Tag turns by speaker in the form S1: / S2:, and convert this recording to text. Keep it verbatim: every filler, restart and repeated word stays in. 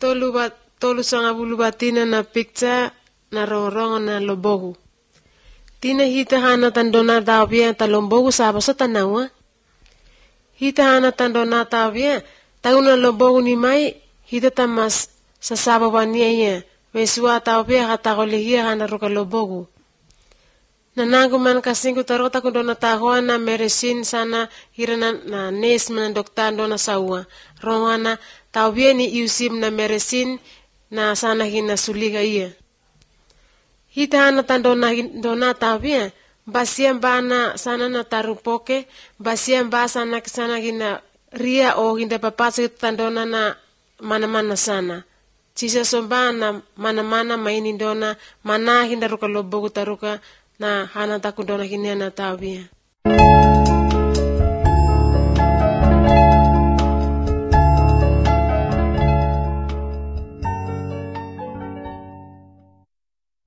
S1: tolu bat tolu sanga bulu batina na picture na rongrong na lobogu. Tina hita hana tandona tawia ta lombogu saba sa tanawa. Hita hana tandona tawia tauna lobogu ni mai hita tamas sa saba wania ia. Wesua tawia hatakoligia hana ruka lobogu. Nanangu man kasingku tarota kundona tahoa na meresin sana hirana na nes mana dokta dona saua. Rongana tawia ni iusim na meresin na sana hina suliga ia. Hita hana tandona dona tawia basia bana sana na tarupoke basia ba sana sana hina ria o hinda papasa tandona na mana-mana sana. Cisa sombana mana-mana maini dona mana hinda ruka lobogu taruka na hana takundona hina na tawia.